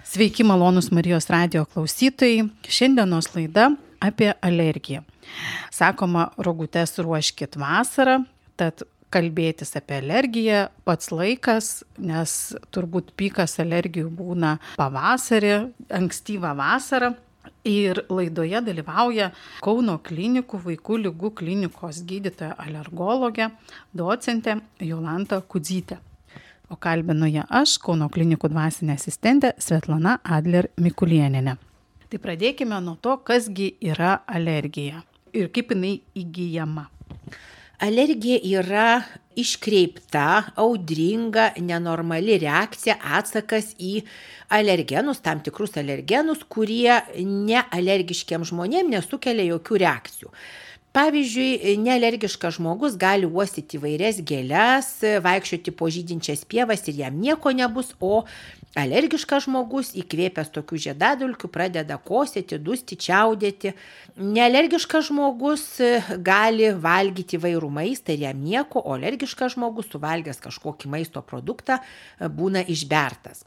Sveiki, malonūs Marijos radijo klausytojai. Šiandienos laida apie alergiją. Sakoma, rogutes ruoškit vasarą, tad kalbėtis apie alergiją pats laikas, nes turbūt pikas alergijų būna pavasarį, ankstyvą vasarą. Ir laidoje dalyvauja Kauno klinikų vaikų ligų klinikos gydytoja alergologė, docentė Jolanta Kudzytė. O kalbinu ją aš, Kauno klinikų dvasinė asistentė Svetlana Adler-Mikulienė. Tai pradėkime nuo to, kasgi yra alergija ir kaip jinai įgyjama. Alergija yra iškreipta, audringa, nenormali reakcija, atsakas į alergenus, tam tikrus alergenus, kurie nealergiškiam žmonėm nesukelia jokių reakcijų. Pavyzdžiui, nealergiškas žmogus gali uostyti įvairias gėles, vaikščioti po žydinčias pievas ir jam nieko nebus, o alergiškas žmogus įkvėpęs tokių žiedadulkių pradeda kosėti, dusti, čiaudėti. Nealergiškas žmogus gali valgyti įvairų maistą ir jam nieko, o alergiškas žmogus suvalgęs kažkokį maisto produktą būna išbertas.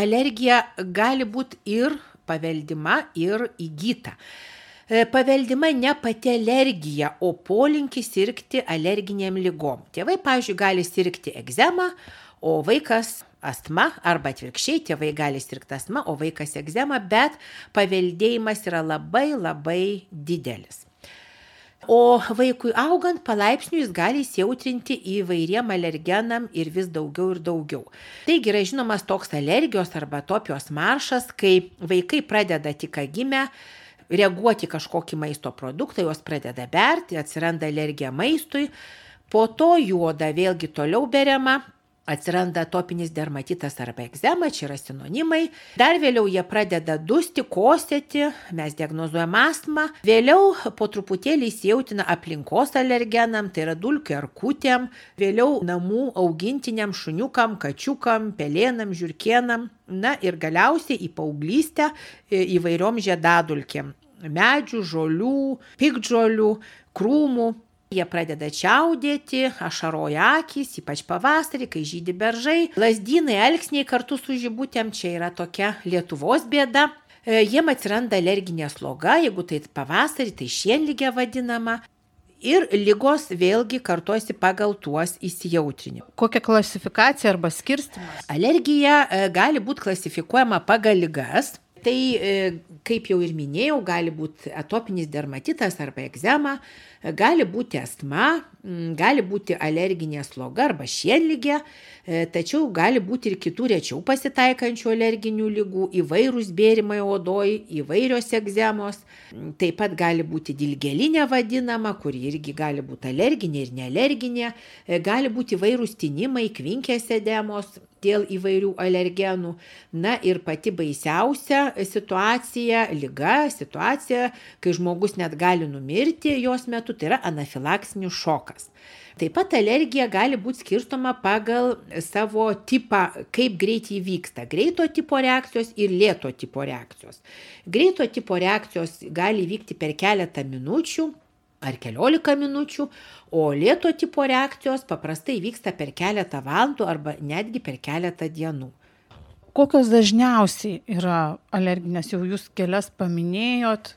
Alergija gali būti ir paveldima, ir įgyta. Paveldima ne pati alergija, o polinkis sirgti alerginėm ligom. Tėvai, pavyzdžiui, gali sirgti egzema, o vaikas astma, arba atvirkščiai, tėvai gali sirgti astma, o vaikas egzema, bet paveldėjimas yra labai didelis. O vaikui augant palaipsniui jis gali įsijautrinti įvairiem alergenam ir vis daugiau ir daugiau. Taigi yra žinomas toks alergijos arba atopijos maršas, kai vaikai pradeda tik gimę reaguoti kažkokį maisto produktą, jos pradeda berti, atsiranda alergija maistui, po to jų oda vėlgi toliau beriama, atsiranda atopinis dermatitas arba egzema, čia yra sinonimai, dar vėliau jie pradeda dusti, kosėti, mes diagnozuojam astmą, vėliau po truputėlį įsijautina aplinkos alergenam, tai yra dulkių erkutėm, vėliau namų augintiniam, šuniukam, kačiukam, pelėnam, žiurkėnam, na ir galiausiai į paauglystę įvairiom žiedadulkėm. Medžių, žolių, piktžolių, krūmų. Jie pradeda čiaudėti, ašaroja akys, ypač pavasarį, kai žydi beržai. Lazdynai, alksniai kartu su žibutėm, čia yra tokia Lietuvos bėda. Jiem atsiranda alerginė sloga, jeigu tai pavasarį, tai šienligė vadinama. Ir ligos vėlgi kartojasi pagal tuos įsijautrinimą. Kokia klasifikacija arba skirstymas? Alergija gali būti klasifikuojama pagal ligas. Tai, kaip jau ir minėjau, gali būti atopinis dermatitas arba egzema, gali būti astma, gali būti alerginė sloga arba šienligė, tačiau gali būti ir kitų rečiau pasitaikančių alerginių ligų, įvairūs bėrimai odoj, įvairios egzemos, taip pat gali būti dilgėlinė vadinama, kuri irgi gali būti alerginė ir nealerginė, gali būti įvairūs tinimai, kvinkės edemos dėl įvairių alergenų. Na ir pati baisiausia situacija, kai žmogus net gali numirti jos metu, tai yra anafilaksinis šokas. Taip pat alergija gali būti skirstoma pagal savo tipą, kaip greitai įvyksta. Greito tipo reakcijos ir lėto tipo reakcijos. Greito tipo reakcijos gali vykti per keletą minučių ar 15 minučių, o lėto tipo reakcijos paprastai vyksta per keletą valandų arba netgi per keletą dienų. Kokios dažniausiai yra alerginės, jau jūs kelias paminėjot?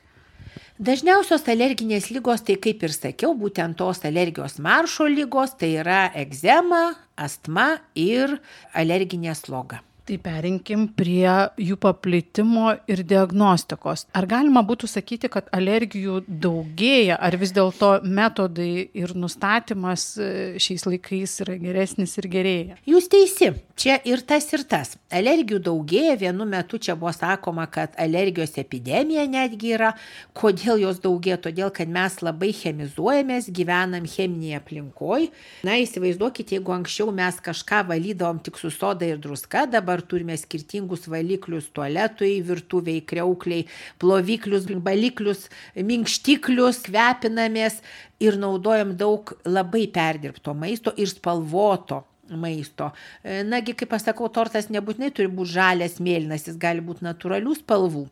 Dažniausios alerginės ligos, tai kaip ir sakiau, būtent tos alergijos maršo ligos, tai yra egzema, astma ir alerginė sloga. Tai perinkim prie jų paplitimo ir diagnostikos. Ar galima būtų sakyti, kad alergijų daugėja, ar vis dėlto metodai ir nustatymas šiais laikais yra geresnis ir gerėja? Jūs teisi, čia ir tas ir tas. Alergijų daugėja, vienu metu čia buvo sakoma, kad alergijos epidemija netgi yra. Kodėl jos daugėja? Todėl, kad mes labai chemizuojamės, gyvenam cheminėje aplinkoje. Na, įsivaizduokite, jeigu anksčiau mes kažką valydavom tik su soda ir druska, dabar turime skirtingus valiklius tualetui, virtuviai, kriaukliai, ploviklius, baliklius, minkštiklius, kvepinamės ir naudojam daug labai perdirbto maisto ir spalvoto maisto. Nagi, kaip aš sakau, tortas nebūtinai turi būti žalias, mėlynas, jis gali būti natūralių spalvų.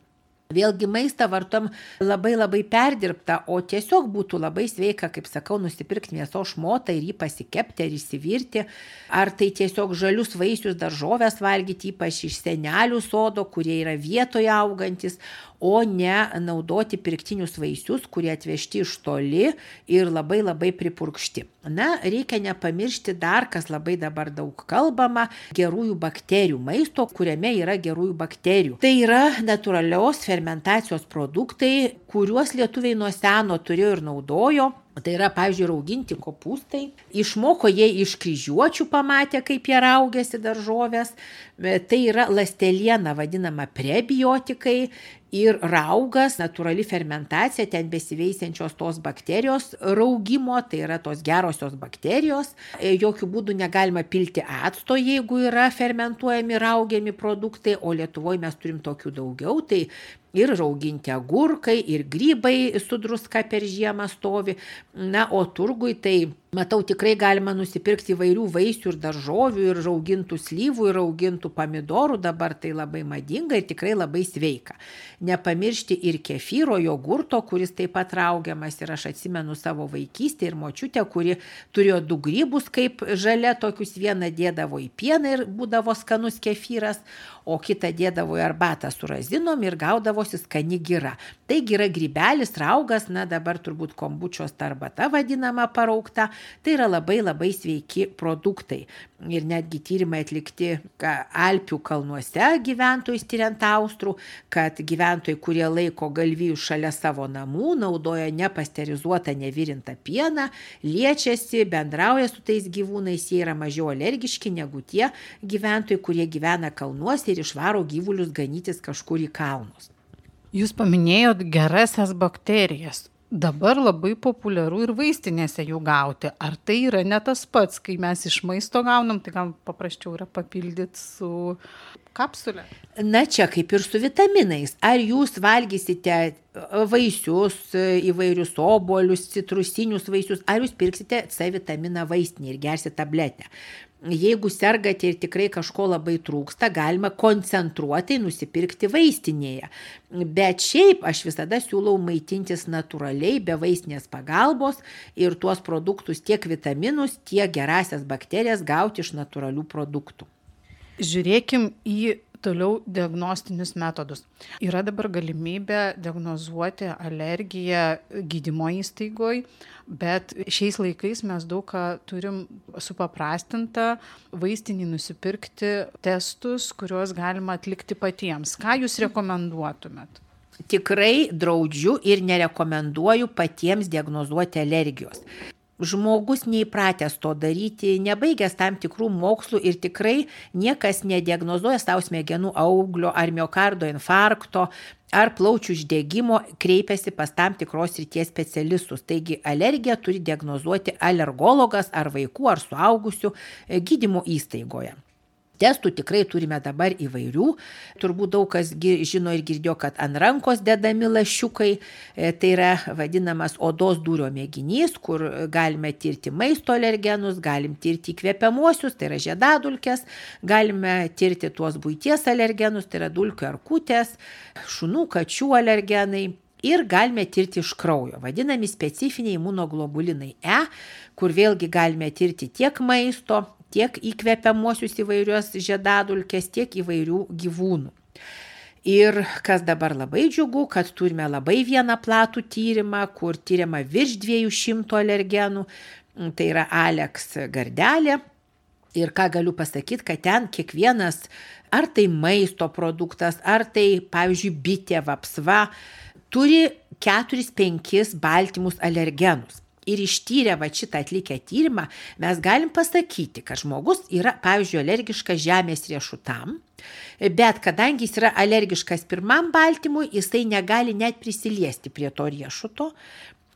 Vėlgi maistą vartom labai perdirbtą, o tiesiog būtų labai sveika, kaip sakau, nusipirkti mėsos šmotą ir jį pasikepti ar įsivirti, ar tai tiesiog žalius vaisius, daržovės valgyti, ypač iš senelių sodo, kurie yra vietoje augantis, o ne naudoti pirktinius vaisius, kurie atvežti iš toli ir labai pripurkšti. Na, reikia nepamiršti dar, kas labai dabar daug kalbama, gerųjų bakterijų, maisto, kuriame yra gerųjų bakterijų. Tai yra natūralios fermentacijos produktai, kuriuos lietuviai nuo seno turėjo ir naudojo. Tai yra, pavyzdžiui, rauginti kopūstai. Išmoko jie iš kryžiuočių, pamatė, kaip jie raugėsi daržovės. Tai yra ląsteliena vadinama prebiotikai ir raugas, natūrali fermentacija, ten besiveisiančios tos bakterijos raugimo, tai yra tos gerosios bakterijos. Jokių būdų negalima pilti acto, jeigu yra fermentuojami, raugiami produktai, o Lietuvoje mes turim tokių daugiau. Tai ir rauginti agurkai, ir grybai su druska per žiemą stovi. Na, o turgui tai, matau, tikrai galima nusipirkti įvairių vaisių ir daržovių, ir raugintų slyvų, ir raugintų pomidorų. Dabar tai labai madinga ir tikrai labai sveika. Nepamiršti ir kefyro, jogurto, kuris taip pat raugiamas. Ir aš atsimenu savo vaikystę ir močiutę, kuri turėjo 2 grybus kaip žalia, tokius vieną dėdavo į pieną ir būdavo skanus kefyras, o kitą dėdavo į arbatą su razinom ir gaudavosi skani gira. Taigi yra grybelis, raugas, na dabar turbūt kombučios arbata vadinama paraukta. Tai yra labai sveiki produktai. Ir netgi tyrimai atlikti Alpių kalnuose gyventojus tyriant austrų, kad gyventojai, kurie laiko galvijus šalia savo namų, naudoja nepasterizuotą, nevirintą pieną, liečiasi, bendrauja su tais gyvūnais, jie yra mažiau alergiški negu tie gyventojai, kurie gyvena kalnuose ir išvaro gyvulius ganytis kažkur į kalnus. Jūs paminėjot gerasias bakterijas. Dabar labai populiaru ir vaistinėse jų gauti. Ar tai yra ne tas pats, kai mes iš maisto gaunam, tai gal paprasčiau yra papildyti su kapsulė? Na čia kaip ir su vitaminais. Ar jūs valgysite vaisius, įvairius obuolius, citrusinius vaisius, ar jūs pirksite C vitaminą vaistinį ir gersite tabletę? Jeigu sergate ir tikrai kažko labai trūksta, galima koncentruotai nusipirkti vaistinėje. Bet šiaip aš visada siūlau maitintis natūraliai, be vaistinės pagalbos ir tuos produktus tiek vitaminus, tiek gerasias bakterijas gauti iš natūralių produktų. Žiūrėkim į toliau diagnostinius metodus. Yra dabar galimybė diagnozuoti alergiją gydymo įstaigoje, bet šiais laikais mes daug ką turim supaprastintą vaistinį nusipirkti testus, kuriuos galima atlikti patiems. Ką jūs rekomenduotumėt? Tikrai draudžiu ir nerekomenduoju patiems diagnozuoti alergijos. Žmogus neįpratęs to daryti, nebaigęs tam tikrų mokslų ir tikrai niekas nediagnozuoja savo smegenų auglio ar miokardo infarkto ar plaučių uždegimo, kreipiasi pas tam tikros srities specialistus. Taigi alergiją turi diagnozuoti alergologas ar vaikų ar suaugusių gydymo įstaigoje. Testų tikrai turime dabar įvairių. Turbūt daug kas žino ir girdėjo, kad ant rankos dedami lašiukai. Tai yra vadinamas odos dūrio mėginys, kur galime tirti maisto alergenus, galim tirti įkvepiamuosius, tai yra žiedadulkes, galime tirti tuos buities alergenus, tai yra dulkių erkutės, šunų, kačių alergenai. Ir galime tirti iš kraujo, vadinami specifiniai imunoglobulinai E, kur vėlgi galime tirti tiek maisto, tiek įkvepiamuosius įvairios žiedadulkės, tiek įvairių gyvūnų. Ir kas dabar labai džiugu, kad turime labai vieną platų tyrimą, kur tyriama virš 200 alergenų, tai yra Alex Gardelė. Ir ką galiu pasakyti, kad ten kiekvienas, ar tai maisto produktas, ar tai, pavyzdžiui, bitė, vapsva, turi 4-5 baltymus alergenus. Ir ištyrę šitą atlikę tyrimą, mes galim pasakyti, kad žmogus yra, pavyzdžiui, alergiškas žemės riešutam, bet kadangi jis yra alergiškas pirmam baltymui, jisai negali net prisiliesti prie to riešuto,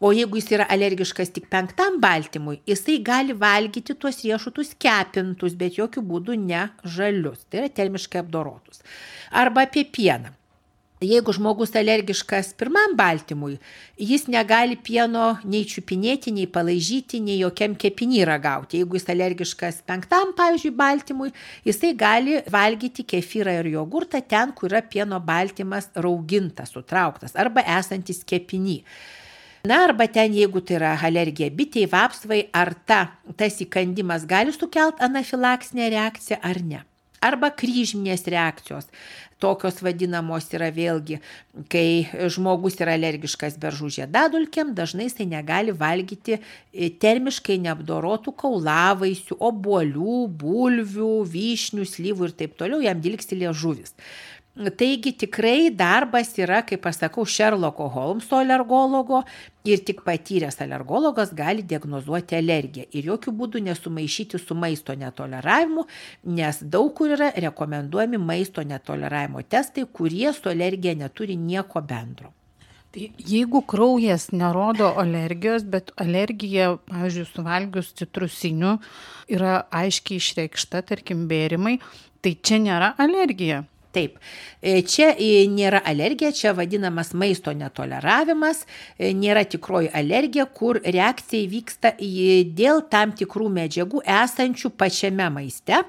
o jeigu jis yra alergiškas tik 5 baltymui, jisai gali valgyti tuos riešutus kepintus, bet jokių būdų ne žalius, tai yra termiškai apdorotus. Arba apie pieną. Jeigu žmogus alergiškas pirmam baltymui, jis negali pieno nei čiupinėti, nei palaižyti, nei jokiam kepiny ragauti. Jeigu jis alergiškas 5, pavyzdžiui, baltymui, jisai gali valgyti kefyrą ir jogurtą ten, kur yra pieno baltymas raugintas, sutrauktas arba esantis kepiny. Na, arba ten, jeigu tai yra alergija bitei, vapsvai, ar tas įkandimas gali sukelti anafilaksinę reakciją ar ne. Arba kryžminės reakcijos. Tokios vadinamos yra vėlgi, kai žmogus yra alergiškas beržų žiedadulkėm, dažnai jisai negali valgyti termiškai neapdorotų kaulavaisių, obuolių, bulvių, vyšnių, slyvų ir taip toliau, jam dilgsi liežuvis. Taigi tikrai darbas yra, kaip aš sakau, Šerloko Holmso alergologo ir tik patyręs alergologas gali diagnozuoti alergiją ir jokių būdų nesumaišyti su maisto netoleravimu, nes daug kur yra rekomenduojami maisto netoleravimo testai, kurie su alergija neturi nieko bendro. Tai jeigu kraujas nerodo alergijos, bet alergija, pavyzdžiui, suvalgius citrusinių yra aiškiai išreikšta, tarkim, bėrimai, tai čia nėra alergija. Taip, čia nėra alergija, čia vadinamas maisto netoleravimas, nėra tikroji alergija, kur reakcija vyksta dėl tam tikrų medžiagų esančių pačiame maiste,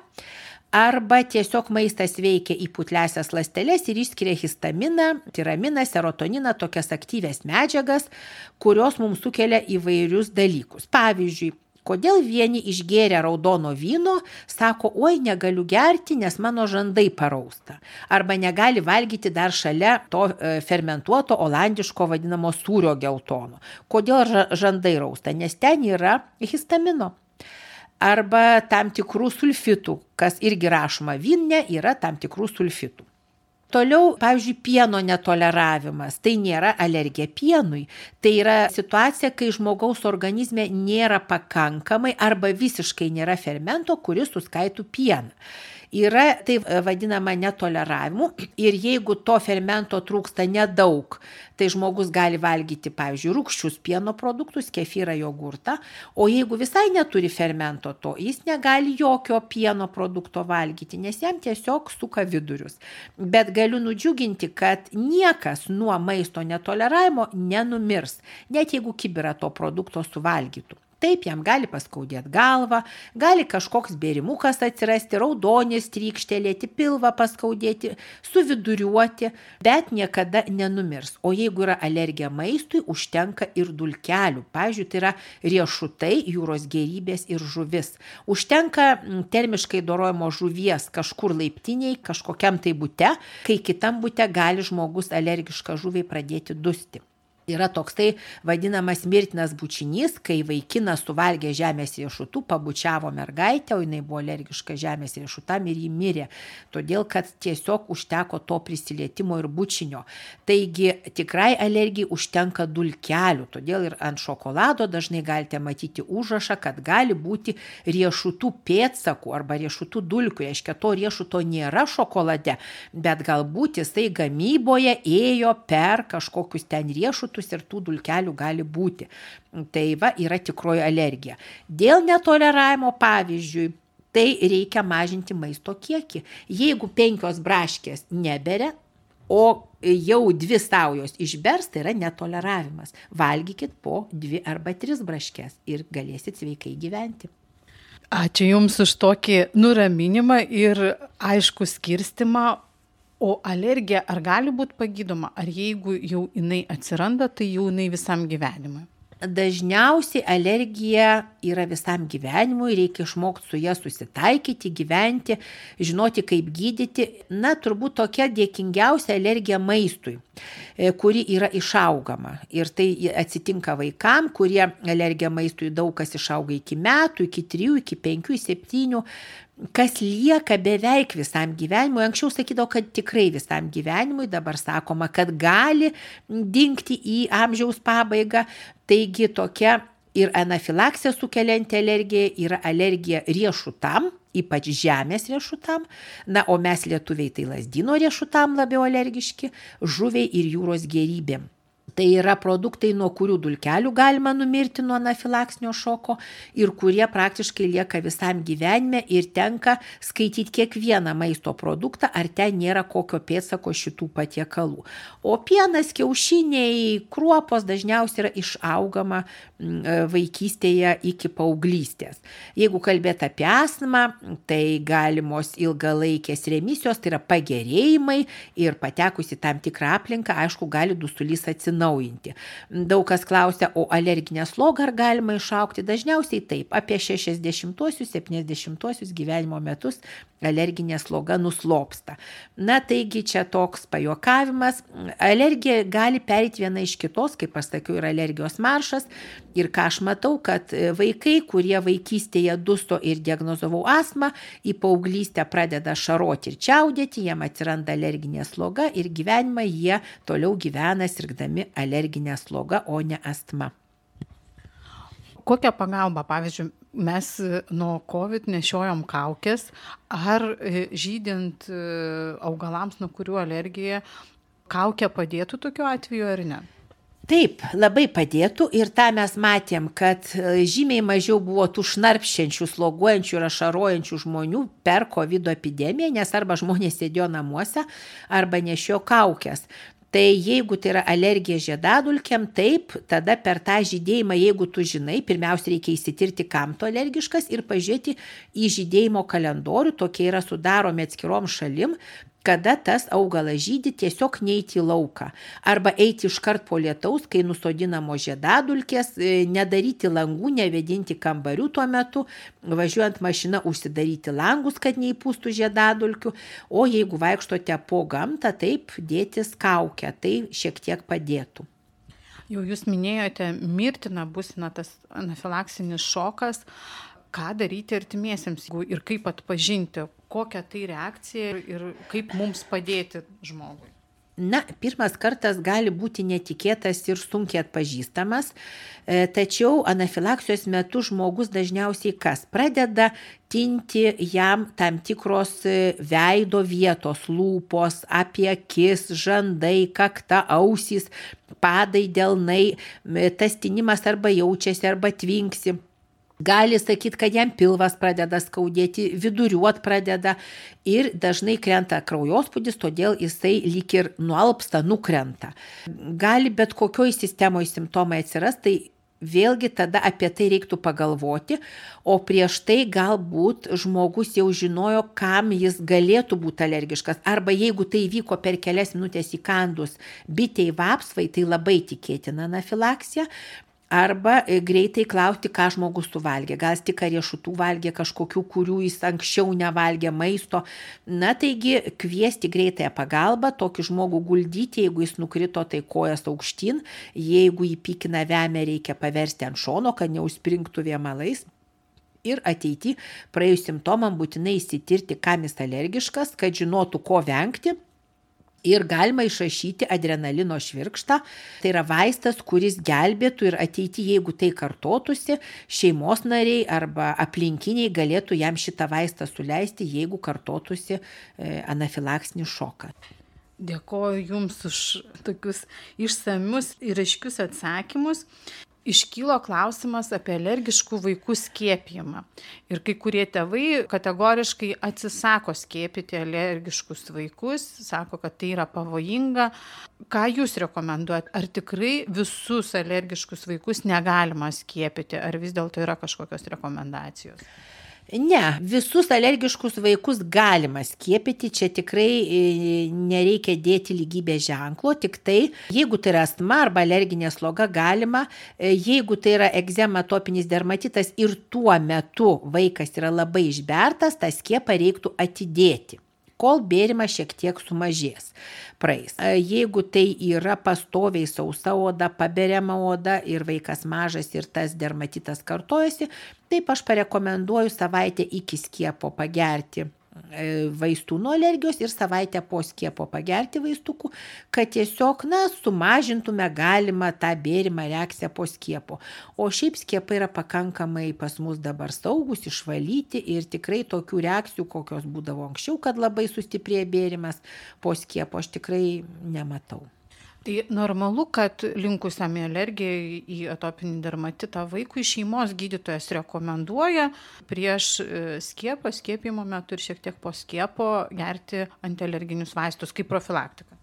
arba tiesiog maistas veikia į putliąsias ląsteles ir išskiria histaminą, tiraminą, serotoniną, tokias aktyvias medžiagas, kurios mums sukelia įvairius dalykus. Pavyzdžiui, kodėl vieni išgėrę raudono vyno, sako, oi, negaliu gerti, nes mano žandai parausta. Arba negali valgyti dar šalia to fermentuoto olandiško vadinamo sūrio geltono. Kodėl žandai rausta? Nes ten yra histamino. Arba tam tikrų sulfitų, kas irgi rašoma vyne, yra tam tikrų sulfitų. Toliau, pavyzdžiui, pieno netoleravimas. Tai nėra alergija pienui. Tai yra situacija, kai žmogaus organizme nėra pakankamai arba visiškai nėra fermento, kuris suskaitų pieną. Yra tai vadinama netoleravimu ir jeigu to fermento trūksta nedaug, tai žmogus gali valgyti, pavyzdžiui, rūgščius pieno produktus, kefyrą, jogurtą, o jeigu visai neturi fermento to, jis negali jokio pieno produkto valgyti, nes jam tiesiog suka vidurius. Bet galiu nudžiuginti, kad niekas nuo maisto netoleravimo nenumirs, net jeigu kibirą to produkto suvalgytų. Taip, jam gali paskaudėti galvą, gali kažkoks bėrimukas atsirasti, raudonis trykštelėti, pilvą paskaudėti, suviduriuoti, bet niekada nenumirs. O jeigu yra alergija maistui, užtenka ir dulkelių. Pavyzdžiui, tai yra riešutai, jūros gėrybės ir žuvis. Užtenka termiškai dorojimo žuvies kažkur laiptiniai, kažkokiam tai bute, kai kitam bute gali žmogus alergišką žuviai pradėti dusti. Yra toksai vadinamas mirtinas bučinys, kai vaikinas suvalgė žemės riešutų, pabučiavo mergaitę, o jinai buvo alergiška žemės riešutam ir ji mirė, todėl kad tiesiog užteko to prisilietimo ir bučinio. Taigi tikrai alergijai užtenka dulkelių, todėl ir ant šokolado dažnai galite matyti užrašą, kad gali būti riešutų pėdsakų arba riešutų dulkių, reiškia to riešuto nėra šokolade, bet galbūt jisai gamyboje ėjo per kažkokius ten riešutus ir tų dulkelių gali būti. Tai va yra tikroji alergija. Dėl netoleravimo, pavyzdžiui, tai reikia mažinti maisto kiekį. Jeigu 5 braškės neberia, o jau 2 saujos išbers, tai yra netoleravimas. Valgykit po 2 arba 3 braškės ir galėsit sveikai gyventi. Ačiū Jums už tokį nuraminimą ir aišku skirstimą. O alergija ar gali būti pagydoma, ar jeigu jau jinai atsiranda, tai jau jinai visam gyvenimui? Dažniausiai alergija yra visam gyvenimui, reikia išmokti su ja susitaikyti, gyventi, žinoti, kaip gydyti. Na, turbūt tokia dėkingiausia alergija maistui, kuri yra išaugama. Ir tai atsitinka vaikam, kurie alergija maistui daug kas išauga iki metų, iki 3, iki 5, 7. Kas lieka beveik visam gyvenimui. Anksčiau sakydavo, kad tikrai visam gyvenimui, dabar sakoma, kad gali dingti į amžiaus pabaigą. Taigi tokia ir anafilaksija sukelianti alergija yra alergija riešutam, ypač žemės riešutam. Na, o mes lietuviai tai lazdyno riešutam labiau alergiški, žuviai ir jūros gėrybėm. Tai yra produktai, nuo kurių dulkelių galima numirti nuo anafilaksinio šoko ir kurie praktiškai lieka visam gyvenime ir tenka skaityti kiekvieną maisto produktą, ar ten nėra kokio pėdsako šitų patiekalų. O pienas, kiaušiniai, kruopos dažniausiai yra išaugama vaikystėje iki paauglystės. Jeigu kalbėt apie astmą, tai galimos ilgalaikės remisijos, tai yra pagerėjimai ir patekus į tam tikrą aplinką, aišku, gali dusulys atsinaujinti. Daug kas klausia, o alerginę slogą ar galima išaugti? Dažniausiai taip, apie 60-70 gyvenimo metus alerginė sloga nuslopsta. Na, taigi čia toks pajuokavimas. Alergija gali pereiti viena iš kitos, kaip aš sakiau, yra alergijos maršas. Ir ką aš matau, kad vaikai, kurie vaikystėje dusto ir diagnozavau astmą, į paauglystę pradeda šaroti ir čiaudėti, jiem atsiranda alerginė sloga ir gyvenimą jie toliau gyvena sirgdami alerginę slogą, o ne astma. Kokią pagalbą, pavyzdžiui, mes nuo COVID nešiojom kaukės, ar žydint augalams, nuo kurių alergija, kaukė padėtų tokiu atveju ar ne? Taip, labai padėtų ir tą mes matėm, kad žymiai mažiau buvo tų šnarpščiančių, sloguojančių ir ašarojančių žmonių per COVID epidemiją, nes arba žmonės sėdėjo namuose, arba nešiojo kaukės. Tai jeigu tai yra alergija žiedadulkėm, taip, tada per tą žydėjimą, jeigu tu žinai, pirmiausia reikia įsitirti, kam tu alergiškas ir pažiūrėti į žydėjimo kalendorių, tokie yra sudaromi atskirom šalim, kada tas augalas žydi, tiesiog neiti į lauką. Arba eiti iškart po lietaus, kai nusodinamos žiedadulkės, nedaryti langų, nevedinti kambarių tuo metu, važiuojant mašina užsidaryti langus, kad neįpūstų žiedadulkių, o jeigu vaikštote po gamtą, taip dėtis kaukę, tai šiek tiek padėtų. Jau jūs minėjote mirtiną būseną, tas anafilaksinis šokas. Ką daryti artimiesiems ir kaip atpažinti, kokią tai reakcija ir kaip mums padėti žmogui? Na, pirmas kartas gali būti netikėtas ir sunkiai atpažįstamas, tačiau anafilaksijos metu žmogus dažniausiai kas? Pradeda tinti jam tam tikros veido vietos, lūpos, apie akis, žandai, kakta, ausys, padai, delnai, tas tinimas arba jaučiasi, arba tvinksi. Gali sakyti, kad jam pilvas pradeda skaudėti, viduriuot pradeda ir dažnai krenta kraujospūdis, todėl jisai lyg ir nualpsta, nukrenta. Gali bet kokioj sistemoje simptomai atsiras, tai vėlgi tada apie tai reiktų pagalvoti, o prieš tai galbūt žmogus jau žinojo, kam jis galėtų būti alergiškas. Arba jeigu tai vyko per kelias minutės įkandus bitei vapsvai, tai labai tikėtina anafilaksija. Arba greitai klausti, ką žmogus suvalgė. Gal tik riešutų valgė kažkokių, kurių jis anksčiau nevalgė maisto. Na, taigi kviesti greitąją pagalbą, tokį žmogų guldyti, jeigu jis nukrito, tai kojas aukštyn. Jeigu jį pykina vemia, reikia paversti ant šono, kad neužspringtų vėmalais. Ir ateity praėjus simptomam būtinai įsitirti, kam jis alergiškas, kad žinotų, ko vengti. Ir galima išrašyti adrenalino švirkštą, tai yra vaistas, kuris gelbėtų ir ateityje, jeigu tai kartotųsi, šeimos nariai arba aplinkiniai galėtų jam šitą vaistą suleisti, jeigu kartotųsi anafilaksinį šoką. Dėkoju Jums už tokius išsamius ir aiškius atsakymus. Iškylo klausimas apie alergiškų vaikų skiepijimą. Ir kai kurie tėvai kategoriškai atsisako skiepyti alergiškus vaikus, sako, kad tai yra pavojinga. Ką Jūs rekomenduojat? Ar tikrai visus alergiškus vaikus negalima skiepyti, ar vis dėlto yra kažkokios rekomendacijos? Ne, visus alergiškus vaikus galima skiepyti, čia tikrai nereikia dėti lygybės ženklo, tik tai, jeigu tai yra astma arba alerginė sloga, galima, jeigu tai yra egzema, atopinis dermatitas ir tuo metu vaikas yra labai išbertas, tą skiepą reiktų atidėti, kol bėrimas šiek tiek sumažės. Praeis. Jeigu tai yra pastoviai sausa oda, paberiama oda ir vaikas mažas ir tas dermatitas kartojasi, taip aš parekomenduoju savaitę iki skiepo pagerti vaistų nuo alergijos ir savaitę po skiepo pagerti vaistukų, kad tiesiog, sumažintume galimą tą bėrimą reakciją po skiepo. O šiaip skiepai yra pakankamai pas mus dabar saugus, išvalyti ir tikrai tokių reakcijų, kokios būdavo anksčiau, kad labai sustiprėjo bėrimas po skiepo, aš tikrai nematau. Tai normalu, kad linkusiam į alergiją į atopinį dermatitą vaikui šeimos gydytojas rekomenduoja prieš skiepimo metu ir šiek tiek po skiepo gerti antialerginius vaistus kaip profilaktiką.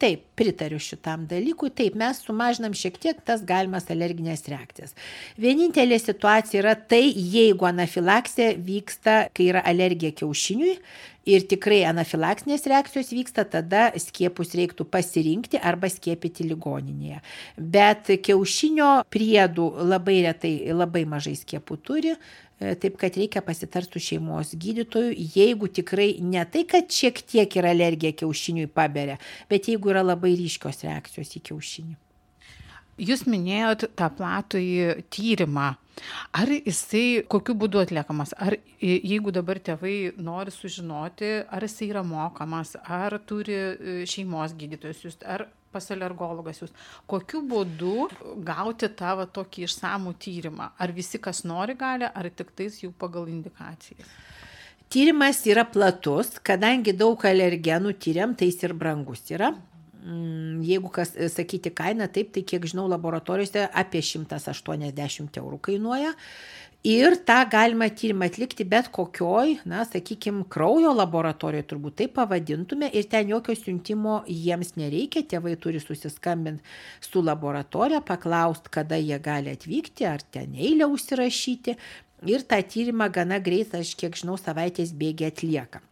Taip, pritariu šitam dalykui. Taip, mes sumažinam šiek tiek tas galimas alerginės reakcijas. Vienintelė situacija yra tai, jeigu anafilaksija vyksta, kai yra alergija kiaušiniui ir tikrai anafilaksinės reakcijos vyksta, tada skiepus reiktų pasirinkti arba skiepyti ligoninėje. Bet kiaušinio priedų labai retai, labai mažai skiepų turi. Taip, kad reikia pasitarti su šeimos gydytoju, jeigu tikrai ne tai, kad šiek tiek yra alergija kiaušiniui paberia, bet jeigu yra labai ryškios reakcijos į kiaušinį. Jūs minėjot tą platųjį tyrimą. Ar jisai kokiu būdu atliekamas? Ar jeigu dabar tėvai nori sužinoti, ar jisai yra mokamas, ar turi šeimos gydytojus jūs, ar pas alergologas jūs, kokiu būdu gauti tą tokį išsamų tyrimą? Ar visi, kas nori, gali, ar tik tais jau pagal indikacijas? Tyrimas yra platus, kadangi daug alergenų tyriam, tai jis ir brangus yra. Jeigu kas sakyti kainą, taip, tai kiek žinau, laboratorijose apie 180 eurų kainuoja. Ir tą galima tyrimą atlikti bet kokioj, sakykime, kraujo laboratorijoje, turbūt taip pavadintume, ir ten jokio siuntimo jiems nereikia, tėvai turi susiskambinti su laboratorija, paklausti, kada jie gali atvykti, ar ten eilę užsirašyti, ir tą tyrimą gana greit, aš kiek žinau, savaitės bėgiai atlieka.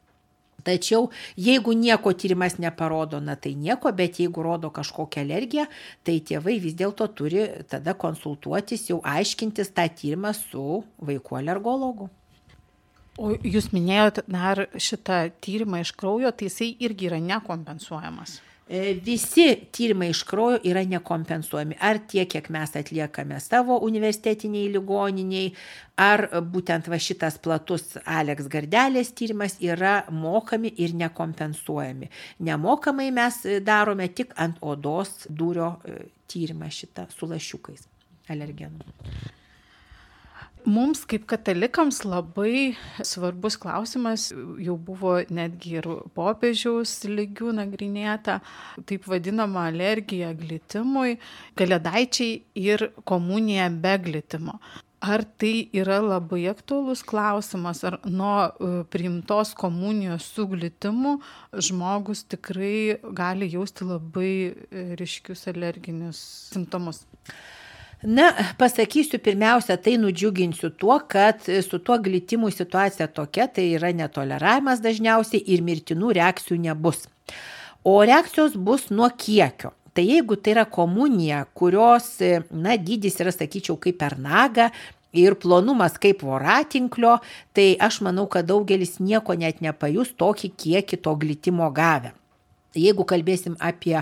Tačiau jeigu nieko tyrimas neparodo, tai nieko, bet jeigu rodo kažkokią alergiją, tai tėvai vis dėlto turi tada konsultuotis, jau aiškintis tą tyrimą su vaikų alergologu. O jūs minėjot dar šitą tyrimą iš kraujo, tai jisai irgi yra nekompensuojamas. Visi tyrimai iš kraujo yra nekompensuojami. Ar tiek, kiek mes atliekame savo universitetiniai ligoniniai, ar būtent šitas platus Alex Gardelės tyrimas yra mokami ir nekompensuojami. Nemokamai mes darome tik ant odos dūrio tyrimą šitą su lašiukais alergenų. Mums kaip katalikams labai svarbus klausimas, jau buvo netgi ir popiežiaus lygių nagrinėta, taip vadinama alergija glitimui, kalėdaičiai ir komunija be glitimo. Ar tai yra labai aktualus klausimas, ar nuo priimtos komunijos su glitimu žmogus tikrai gali jausti labai ryškius alerginius simptomus? Pasakysiu pirmiausia, tai nudžiuginsiu tuo, kad su tuo glitimu situacija tokia, tai yra netoleravimas dažniausiai ir mirtinų reakcijų nebus. O reakcijos bus nuo kiekio. Tai jeigu tai yra komunija, kurios dydis yra, sakyčiau, kaip per nagą ir plonumas kaip voratinklio, tai aš manau, kad daugelis nieko net nepajus tokį kiekį to glitimo gavę. Jeigu kalbėsim apie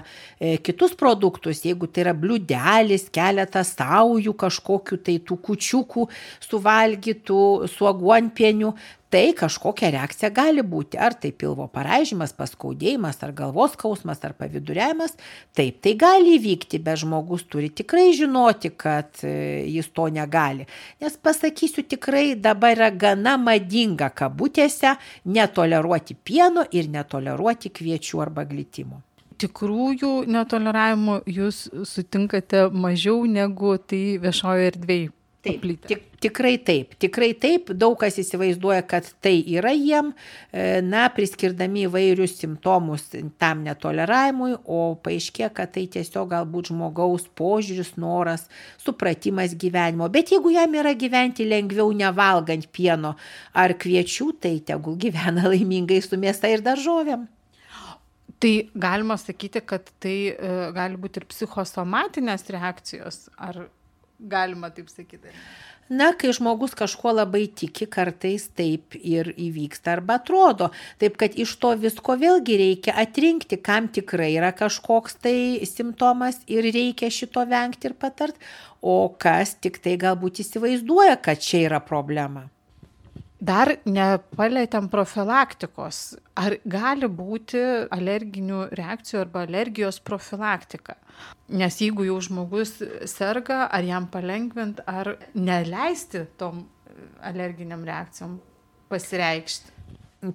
kitus produktus, jeigu tai yra bliūdelis, keletas saujų kažkokių tai tų kučiukų suvalgytų su aguonpieniu, tai kažkokia reakcija gali būti. Ar tai pilvo paraižymas, paskaudėjimas, ar galvos skausmas, ar paviduriavimas. Taip, tai gali įvykti, bet žmogus turi tikrai žinoti, kad jis to negali. Nes pasakysiu, tikrai dabar yra gana madinga kabutėse netoleruoti pieno ir netoleruoti kviečių arba glitimo. Tikrųjų netoleravimų jūs sutinkate mažiau negu tai viešojo erdvėje. Taip, tikrai taip. Daug kas įsivaizduoja, kad tai yra jiem, priskirdami įvairius simptomus tam netoleravimui, o paaiškėja, kad tai tiesiog galbūt žmogaus požiūris, noras, supratimas gyvenimo. Bet jeigu jam yra gyventi lengviau nevalgant pieno ar kviečių, tai tegul gyvena laimingai su mėsa ir daržovėm. Tai galima sakyti, kad tai gali būti ir psichosomatinės reakcijos, ar galima taip sakyti? Kai žmogus kažkuo labai tiki, kartais taip ir įvyksta arba atrodo. Taip, kad iš to visko vėlgi reikia atrinkti, kam tikrai yra kažkoks tai simptomas ir reikia šito vengti ir patart, o kas tik tai galbūt įsivaizduoja, kad čia yra problema. Dar nepalėtėm profilaktikos. Ar gali būti alerginių reakcijų arba alergijos profilaktika? Nes jeigu jau žmogus serga, ar jam palengvint, ar neleisti tom alerginiam reakcijom pasireikšti?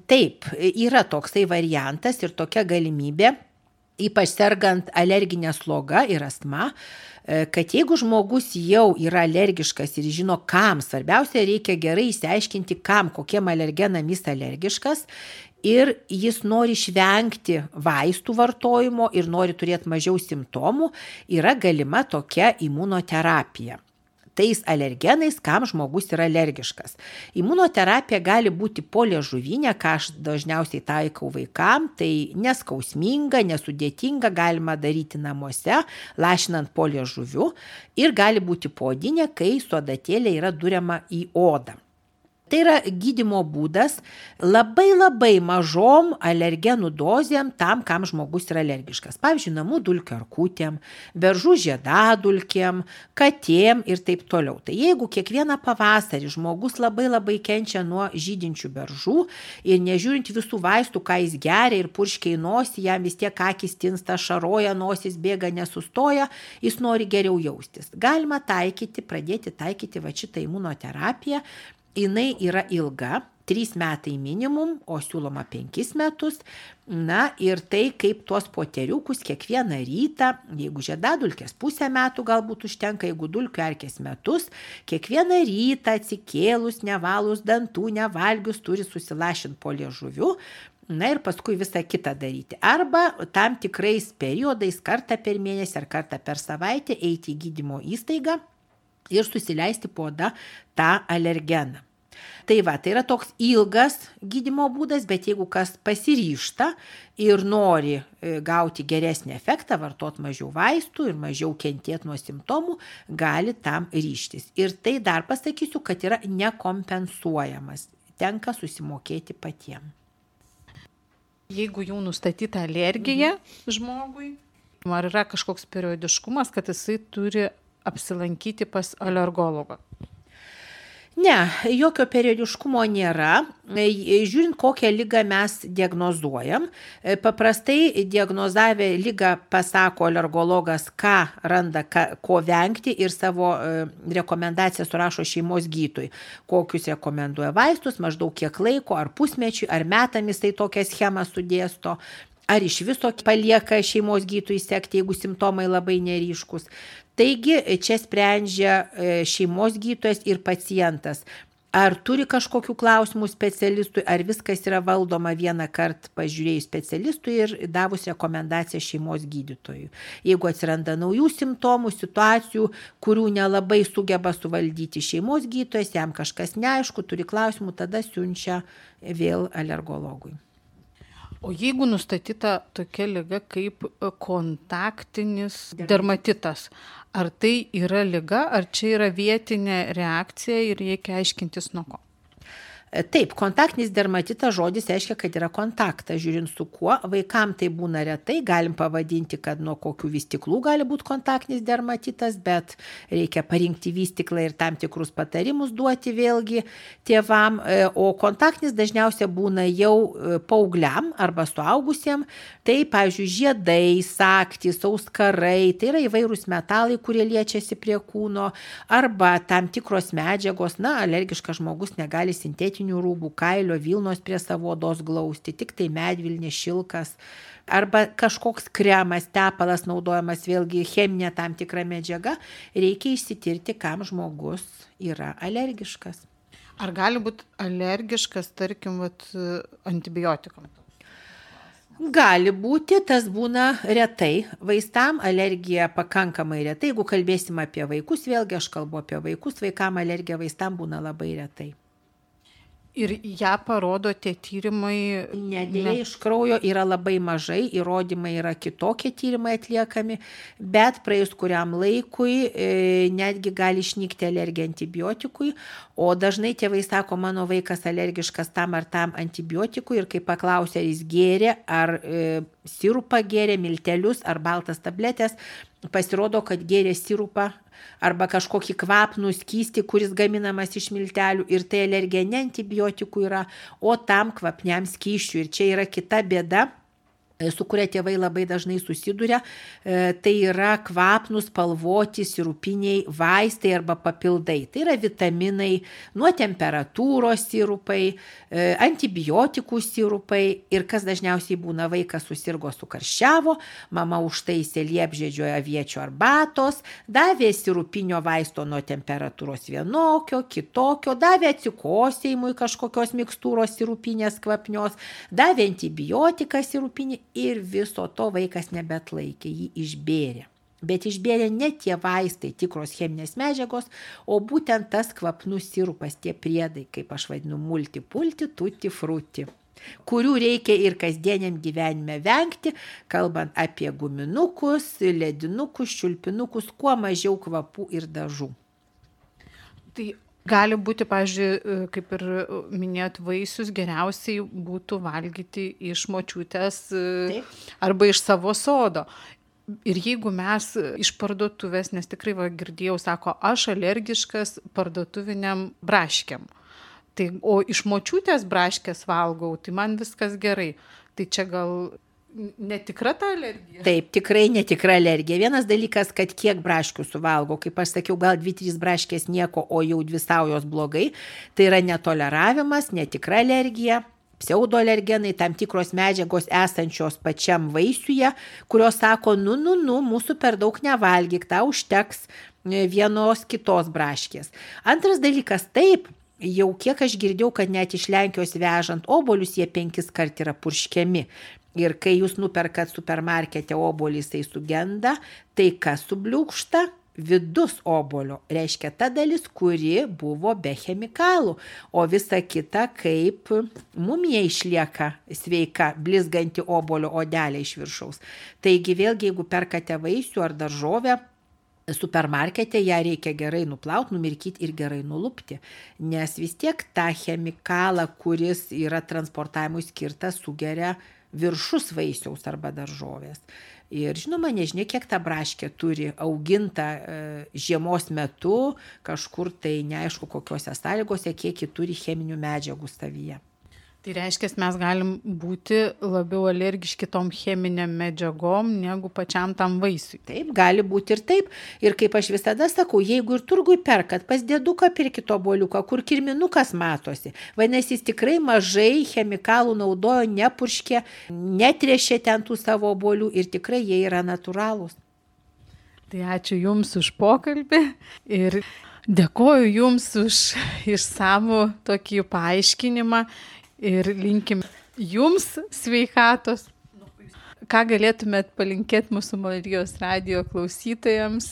Taip, yra toksai variantas ir tokia galimybė. ypač sergant alerginę slogą ir astma, kad jeigu žmogus jau yra alergiškas ir žino kam, svarbiausia reikia gerai išsiaiškinti kam, kokiem alergenam jis alergiškas ir jis nori išvengti vaistų vartojimo ir nori turėti mažiau simptomų, yra galima tokia imunoterapija. Tais alergenais, kam žmogus yra alergiškas. Imunoterapija gali būti poliežuvinė, ką aš dažniausiai taikau vaikam, tai neskausminga, nesudėtinga, galima daryti namuose, lašinant poliežuviu ir gali būti poodinė, kai su adatėlė yra duriama į odą. Tai yra gydymo būdas labai mažom alergenų dozėm tam, kam žmogus yra alergiškas. Pavyzdžiui, namų dulkių erkutėm, beržų žiedadulkėm, katėm ir taip toliau. Tai jeigu kiekvieną pavasarį žmogus labai kenčia nuo žydinčių beržų ir nežiūrint visų vaistų, ką jis geria ir purškia į nosį, jam vis tiek akys tinsta, šaroja, nosis bėga, nesustoja, jis nori geriau jaustis. Galima pradėti taikyti va šitą imunoterapiją. Jinai yra ilga, 3 metai minimum, o siūloma 5 metus. Na ir tai kaip tuos poteriukus kiekvieną rytą, jeigu žiedadulkės pusę metų galbūt užtenka, jeigu dulkių erkės metus, kiekvieną rytą atsikėlus, nevalus dantų, nevalgius turi susilašinti poliežuviu. Na ir paskui visą kitą daryti. Arba tam tikrais periodais kartą per mėnesį ar kartą per savaitę eiti į gydymo įstaigą ir susileisti po oda tą alergeną. Tai yra toks ilgas gydymo būdas, bet jeigu kas pasiryžta ir nori gauti geresnį efektą, vartoti mažiau vaistų ir mažiau kentėti nuo simptomų, gali tam ryžtis. Ir tai dar pasakysiu, kad yra nekompensuojamas, tenka susimokėti patiems. Jeigu jau nustatyta alergija žmogui, ar yra kažkoks periodiškumas, kad jisai turi apsilankyti pas alergologą? Ne, jokio periodiškumo nėra. Žiūrint, kokią ligą mes diagnozuojam. Paprastai diagnozavę ligą pasako alergologas, ką randa, ko vengti ir savo rekomendaciją surašo šeimos gydytojui. Kokius rekomenduoja vaistus, maždaug kiek laiko, ar pusmečiui, ar metams tai tokią schemą sudėsto. Ar iš viso palieka šeimos gydytojui sekti, jeigu simptomai labai neryškus. Taigi čia sprendžia šeimos gydytojas ir pacientas. Ar turi kažkokių klausimų specialistui, ar viskas yra valdoma vieną kartą pažiūrėjus specialistui ir davus rekomendaciją šeimos gydytojui. Jeigu atsiranda naujų simptomų, situacijų, kurių nelabai sugeba suvaldyti šeimos gydytojas, jam kažkas neaišku, turi klausimų, tada siunčia vėl alergologui. O jeigu nustatyta tokia liga kaip kontaktinis dermatitas, ar tai yra liga, ar čia yra vietinė reakcija ir reikia aiškintis nuo ko? Taip, kontaktinis dermatitas žodis reiškia, kad yra kontaktas, žiūrint su kuo. Vaikam tai būna retai, galim pavadinti, kad nuo kokių vystiklų gali būti kontaktinis dermatitas, bet reikia parinkti vystiklą ir tam tikrus patarimus duoti vėlgi tėvam. O kontaktinis dažniausiai būna jau paaugliam arba suaugusiem. Tai, pavyzdžiui, žiedai, saktys, auskarai, tai yra įvairūs metalai, kurie liečiasi prie kūno, arba tam tikros medžiagos, alergiškas žmogus negali sintetinių rūbų, kailio, vilnos prie savo odos glausti, tik tai medvilnė, šilkas, arba kažkoks kremas, tepalas naudojamas, vėlgi cheminė tam tikra medžiaga, reikia išsitirti, kam žmogus yra alergiškas. Ar gali būti alergiškas, tarkim, antibiotikam? Gali būti, tas būna retai. Vaistam alergija pakankamai retai. Jeigu kalbėsim apie vaikus, vėlgi aš kalbu apie vaikus, vaikam alergija vaistam būna labai retai. Ir ją parodo tie tyrimai? Dėja, iš kraujo yra labai mažai, įrodymai yra kitokie tyrimai atliekami, bet praėjus kuriam laikui netgi gali išnykti alergija antibiotikui, o dažnai tėvai sako, mano vaikas alergiškas tam ar tam antibiotikui ir kai paklausia, ar jis gėrė, ar sirupą gėrė, miltelius ar baltas tabletės, pasirodo, kad gėrė sirupą arba kažkokį kvapnų skystį, kuris gaminamas iš miltelių ir tai alergija ne antibiotikų yra, o tam kvapniam skysčiui. Ir čia yra kita bėda, su kuria tėvai labai dažnai susiduria, tai yra kvapnūs, spalvoti, sirupiniai vaistai arba papildai. Tai yra vitaminai, nuo temperatūros sirupai, antibiotikų sirupai ir kas dažniausiai būna, vaikas susirgo, sukarščiavo, mama užtaisė liepžiedžio aviečio arbatos, davė sirupinio vaisto nuo temperatūros vienokio, kitokio, davė atsikosėjimui kažkokios mikstūros sirupinės kvapnios, davė antibiotiką sirupinį ir viso to vaikas nebeatlaikė, jį išbėrė. Bet išbėrė ne tie vaistai, tikros cheminės medžiagos, o būtent tas kvapnus sirupas, tie priedai, kaip aš vadinu, multipulti, tutti frutti, kurių reikia ir kasdieniam gyvenime vengti, kalbant apie guminukus, ledinukus, čiulpinukus, kuo mažiau kvapų ir dažų. Tai gali būti, pavyzdžiui, kaip ir minėjot, vaisius geriausiai būtų valgyti iš močiutės arba iš savo sodo. Ir jeigu mes iš parduotuvės, nes tikrai girdėjau, sako, aš alergiškas parduotuviniam braškiam, tai, o iš močiutės braškės valgau, tai man viskas gerai. Tai čia gal netikra ta alergija? Taip, tikrai netikra alergija. Vienas dalykas, kad kiek braškių suvalgo, kaip aš sakiau, gal 2-3 braškės nieko, o jau 2 saujos blogai, tai yra netoleravimas, netikra alergija. Pseudoalergenai, tam tikros medžiagos esančios pačiam vaisiuje, kurios sako, mūsų per daug nevalgyk, tau užteks vienos kitos braškės. Antras dalykas, taip, jau kiek aš girdėjau, kad net iš Lenkijos vežant obuolius jie 5 kart yra purškiami. Ir kai jūs nuperkat supermarkete obuolį, jisai sugenda, tai kas subliūkšta? Vidus obuolio, reiškia ta dalis, kuri buvo be chemikalų, o visa kita kaip mumija išlieka sveika, blizganti obuolio odelė iš viršaus. Taigi vėlgi, jeigu perkate vaisių ar daržovę, supermarkete ją reikia gerai nuplauti, numirkyti ir gerai nulupti, nes vis tiek tą chemikalą, kuris yra transportavimui skirtas, sugeria viršus vaisiaus arba daržovės. Ir žinoma, nežinia, kiek ta braškė turi auginta žiemos metu, kažkur tai neaišku kokiuose sąlygose, kiek ji turi cheminių medžiagų savyje. Tai reiškia, mes galim būti labiau alergiški tom cheminiam medžiagom negu pačiam tam vaisiui. Taip, gali būti ir taip. Ir kaip aš visada sakau, jeigu ir turgui perkat, pas dėduką pirkit obuoliuką, kur kirminukas matosi, vadinasi, jis tikrai mažai chemikalų naudojo, nepurškė, netrėšė ten tų savo obuolių ir tikrai jie yra natūralūs. Tai ačiū Jums už pokalbį ir dėkoju Jums už išsamų tokį paaiškinimą. Ir linkim Jums sveikatos. Ką galėtumėt palinkėti mūsų Marijos radijo klausytojams?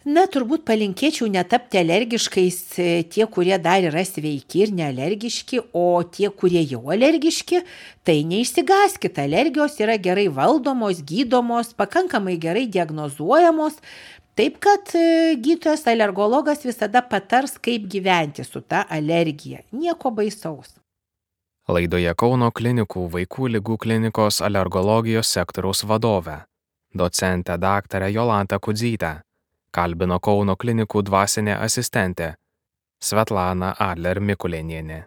Na, turbūt palinkėčiau netapti alergiškais tie, kurie dar yra sveiki ir nealergiški, o tie, kurie jau alergiški, tai neišsigąskit. Alergijos yra gerai valdomos, gydomos, pakankamai gerai diagnozuojamos. Taip, kad gydytojas alergologas visada patars, kaip gyventi su ta alergija. Nieko baisaus. Laidoje Kauno klinikų vaikų ligų klinikos alergologijos sektoriaus vadovė, docentė daktarė Jolanta Kudzytė, kalbino Kauno klinikų dvasinė asistentė Svetlana Adler Mikulėnienė.